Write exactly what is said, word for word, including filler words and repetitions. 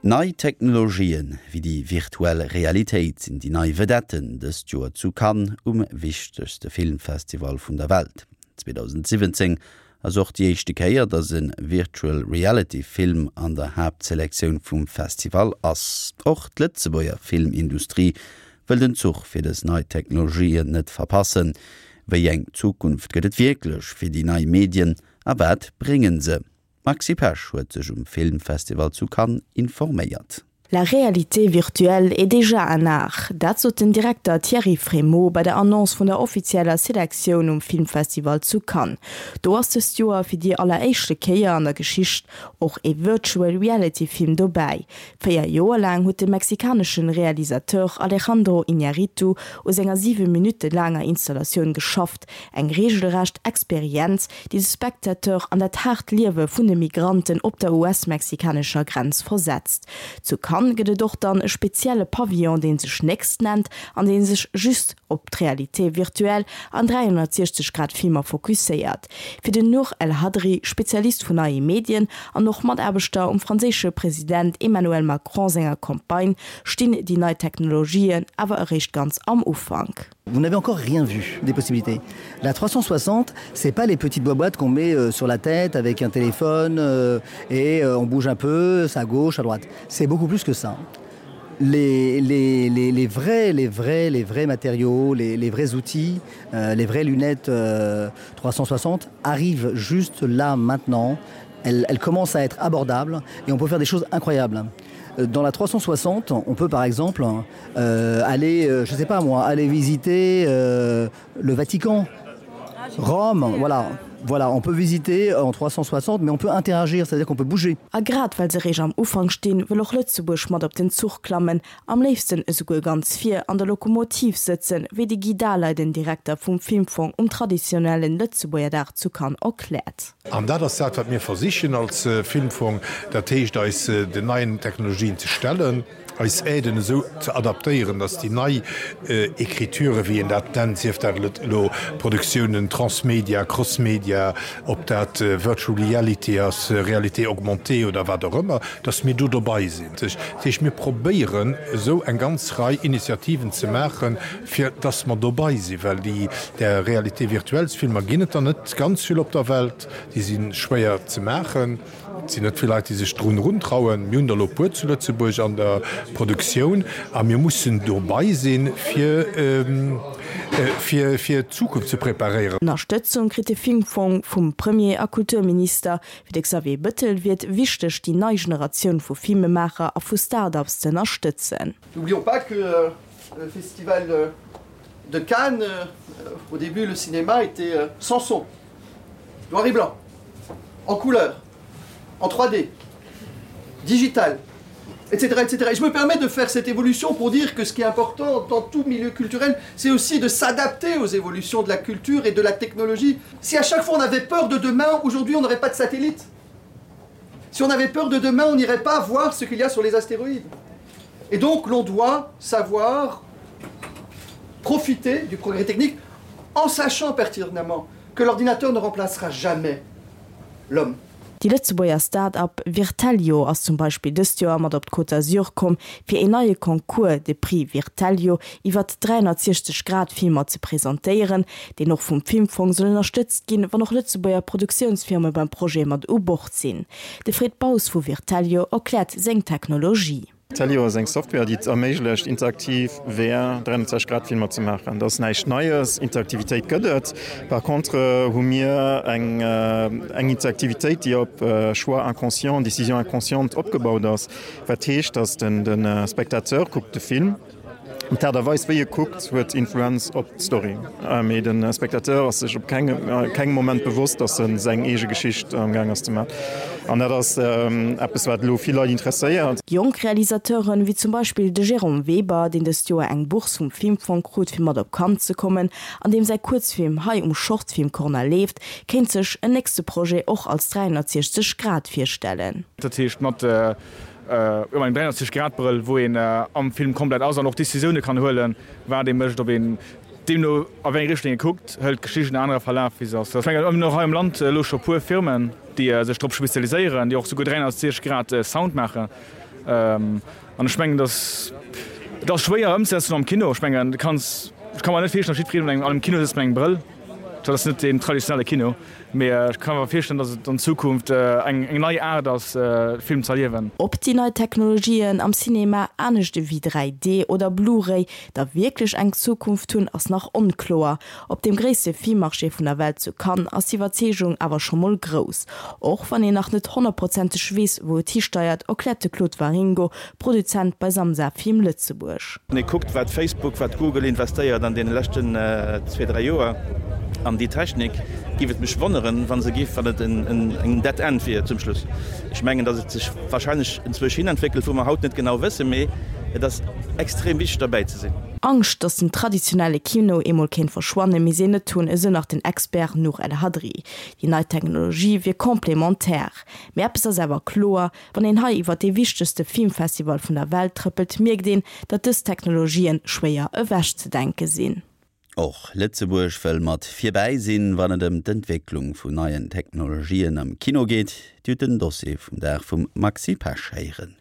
Nei Technologien wéi déi virtuell Realitéit sinn déi nei Vedetten dëst Joer zu Cannes um wichtegste Filmfestival vun der Welt. zweedausendsiwwenzéng ass och déi éischte Kéier, datt e Virtual Reality Film an der Haaptselektioun vum Festival ass. Och d'Lëtzebuerger Filmindustrie wëll den Zuch fir dës nei Technologien net verpassen. Wéi eng Zukunft gëtt et wierklech fir déi nei Medien a wat bréngen se? D'Maxi Pesch huet sech um Filmfestival zu Cannes informéiert. La réalité virtuelle est déjà un art. Dat sot den Direkter Thierry Frémaux bei der Annonce vun der offizieller Selektioun um Filmfestival zu Cannes. Do ass dëst Joer fir déi alleréischte Kéier an der Geschicht och e Virtual Reality Film dobäi. Véier Joer laang huet de mexikanesche Realisateur Alejandro Iñárritu u senger siwe Minutte laanger Installatioun geschafft, eng reegelrecht Experienz, déi de Spectateur an dat haart Liewe vun de Migranten op der U S-mexikanescher Grenz versetzt. Zu Cannes gëtt et och dann e spezielle Pavillon, dee sech Next nennt an dee sech just op d'Réalité virtuelle an dräihonnertsiechzeg Grad Filmer fokusséiert. Fir den Nour El Hadri, Spezialist vun neie Medien an och Mataarbechter um franséische President Emmanuel Macron senger Campagne, stinn déi nei Technologien awer eréischt ganz am Ufank. Vous n'avez encore rien vu des possibilités. La trois cent soixante, c'est pas les petites boîtes qu'on met euh, sur la tête avec un téléphone euh, et euh, on bouge un peu, c'est à gauche, à droite. C'est beaucoup plus que ça. Les, les, les, les vrais, les vrais, les vrais matériaux, les, les vrais outils, euh, les vraies lunettes euh, trois cent soixante arrivent juste là maintenant. Elles, elles commencent à être abordables et on peut faire des choses incroyables. Euh, dans la trois cent soixante, on peut par exemple euh, aller, euh, je sais pas moi, aller visiter euh, le Vatican, Rome, voilà. Voilà, on peut visiter en trois cent soixante, mais on peut interagir, c'est-à-dire qu'on peut bouger. A grad well se réischt am Ufank stinn, wëll och Lëtzebuerg mat op den Zuch klammen, am léifsten esouguer ganz vir an der Lokomotiv sëtzen, wéi de Guy Dahler, den Direkter vum Filmfong, um traditionellen Lëtzebuerger Dag zu Cannes erkläert. An dat ass dat, wat mir versichen als Filmfong, dat heescht eis den neien Technologien ze stellen, eis Aiden esou ze adaptéieren, datt déi nei Écriture, wéi een dat nennt, sief dat elo Produktiounen transmédia, crossmédia, ob dat Virtual Reality ass, Réalité augmentée oder wat och ëmmer, datt mir do dobei sinn. Dat heescht, mir probéieren esou eng ganz Rei Initiativen ze maachen, fir datt mer dobei sinn, well déi där Réalité virtuelles Filmer ginn et der net ganz vill op der Welt, déi si schwéier ze maachen. Et sinn net vill Leit, déi sech drun eruntrauen. Mir hunn der elo e puer zu Lëtzebuerg an der Produktioun a mir mussen dobei sinn, fir, fir, fir d'Zukunft ze preparéieren. Ënnerstëtzung kritt de Filmfong vum Premier a Kulturminister. Fir de Xavier Bëttel wier et wichteg, déi nei Generatioun vu Filmemaacher a vu Start-ups ze ënnerstëtzen. N'oublions pas que euh, le festival euh, de Cannes, euh, au début, le cinéma était euh, sans son, noir et blanc, en couleur, en trois D, digital, et cetera et cetera. Et je me permets de faire cette évolution pour dire que ce qui est important dans tout milieu culturel, c'est aussi de s'adapter aux évolutions de la culture et de la technologie. Si à chaque fois on avait peur de demain, aujourd'hui on n'aurait pas de satellite. Si on avait peur de demain, on n'irait pas voir ce qu'il y a sur les astéroïdes. Et donc l'on doit savoir profiter du progrès technique en sachant pertinemment que l'ordinateur ne remplacera jamais l'homme. Déi Lëtzebuerger Start-up Virtalio ass zum Beispill dëst Joer mat op d'Côte d'Azur komm, fir een neie Concours, de Prix Virtalio, iwwer dräihonnertsiechzeg Grad Filmer ze presentéieren, deen och vum Filmfong soll ënnerstëtzt ginn, wann och Lëtzebuerger Produktiounsfirme beim Projet mat u Bord sinn. De Fred Baus vu Virtalio erkläert seng Technologie. Virtalio ass eng Software, déi et erméiglecht, interaktiv V R dräihonnertsechzeg Grad Filmer ze maachen. Dat ass näischt Neies, Interaktivitéit gëtt et. Par contre hu mir eng eng Interaktivitéit, déi op Choix inconscient, Décision inconsciente opgebaut ass. Wat heescht, datt den de Spectateur kuckt de Film, an d'Aart a Weis wéi e kuckt huet Influenz op d'Story. Mee de Spectateur ass sech op kengem kengem Moment bewosst, datt en seng eege Geschicht amgaang ass ze maachen. An dat ass eppes wat elo vill Leit interesséiert. Jonk Realisateuren, wéi zum Beispill de Jérôme Weber, deen dëst Joer eng Bourse vum Filmfong krut fir mat op Cannes ze kommen, an deem säi Kuerzfilm hei um Shortfilm Corner leeft, kéint sech en nächste Projet och als dräihonnertsiechzeg Grad virstellen. Dat heescht mat jo engem dräihonnertsiechzeg Grad Brëll, wou een am Film komplett ass an och Decisioune kann huelen, wat ee mécht, ob een deemno a wéi eng Richtung ee kuckt, hëlt d'Geschicht en anere Verlaf wéi se ass. Ech mengen, mir hunn och hei am Land elo scho puer Firmen, déi sech drop spezialiséieren, déi och souguer dräihonnertsiechzeg Grad Sound maachen. An ech mengen, dass et ass schwéier ëmzesetzen am Kino. Ech mengen, du kanns, ech ka mer net virstellen, datt jiddwereen an engem Kino sëtzt mat engem Brëll. Dat ass net deen traditionelle Kino. Mee ech ka mer virstellen, datt et an Zukunft eng nei Aart ass, Film z'erliewen. Ob déi nei Technologien am Cinema, anescht ewéi dräi D oder Blu-ray, da wierklech eng Zukunft hunn, ass nach onkloer. Op deem gréisste Filmmarché vun der Welt zu Cannes ass d'Iwwerzeegung awer scho mol grouss. Och wann een nach net honnertprozenteg weess, wou et histeiert, erkläert de Claude Waringo, Produzent bei Samsa Film Lëtzebuerg. Wann ee kuckt, wat Facebook, wat Google investéiert an deene leschten zwee, dräi Joer an déi Technik, géif et mech wonneren, wa se géif, wann et en Dead End wier zum Schluss. Ech mengen, datt et sech wahrscheinlech enzwousch hin entwéckelt, wou mer haut net genau wëssen, mee et ass extrem wichteg derbäi ze sinn. Angscht, datt den traditionelle Kino eemol kéint verschwannen, misst een net hunn, esou nach den Expert Nour El Hadri. Déi nei Technologie wier complémentaire. Mee eppes ass awer kloer, Wann een hei iwwer dee wichtegste Filmfestival vun der Welt trëppelt, mierkt een, datt dës Technologien schwéier ewechzedenke sinn. Och Lëtzebuerg wëll mat virbäi sinn, wann et ëm d'Entwécklung vun neien Technologien am Kino geet. Dir hutt den Dossier vum Dag vum Maxi Pesch héieren.